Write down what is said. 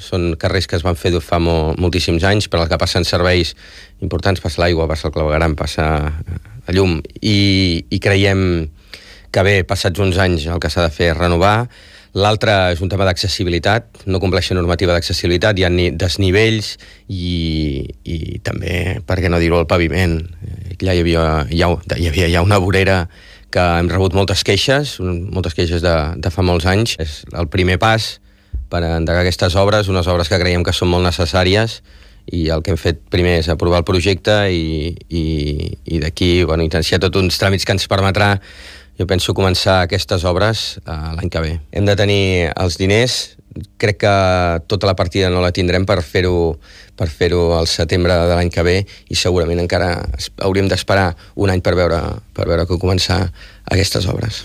Són carrers que es van fer fa moltíssims anys, per al que passen serveis importants, passa l'aigua, passa el clavegueram, passa la llum, i creiem que bé, passats uns anys el que s'ha de fer és renovar. L'altre és un tema d'accessibilitat, no compleix la normativa d'accessibilitat, hi ha desnivells i també, per què no dir-ho, el paviment. Allà hi havia ja una vorera que hem rebut moltes queixes de fa molts anys. És el primer pas per endegar aquestes obres, unes obres que creiem que són molt necessàries, i el que hem fet primer és aprovar el projecte i d'aquí iniciar tots uns tràmits que ens permetrà, jo penso, començar aquestes obres l'any que ve. Hem de tenir els diners, crec que tota la partida no la tindrem per fer-ho al setembre de l'any que ve, i segurament encara hauríem d'esperar un any per veure com començar aquestes obres.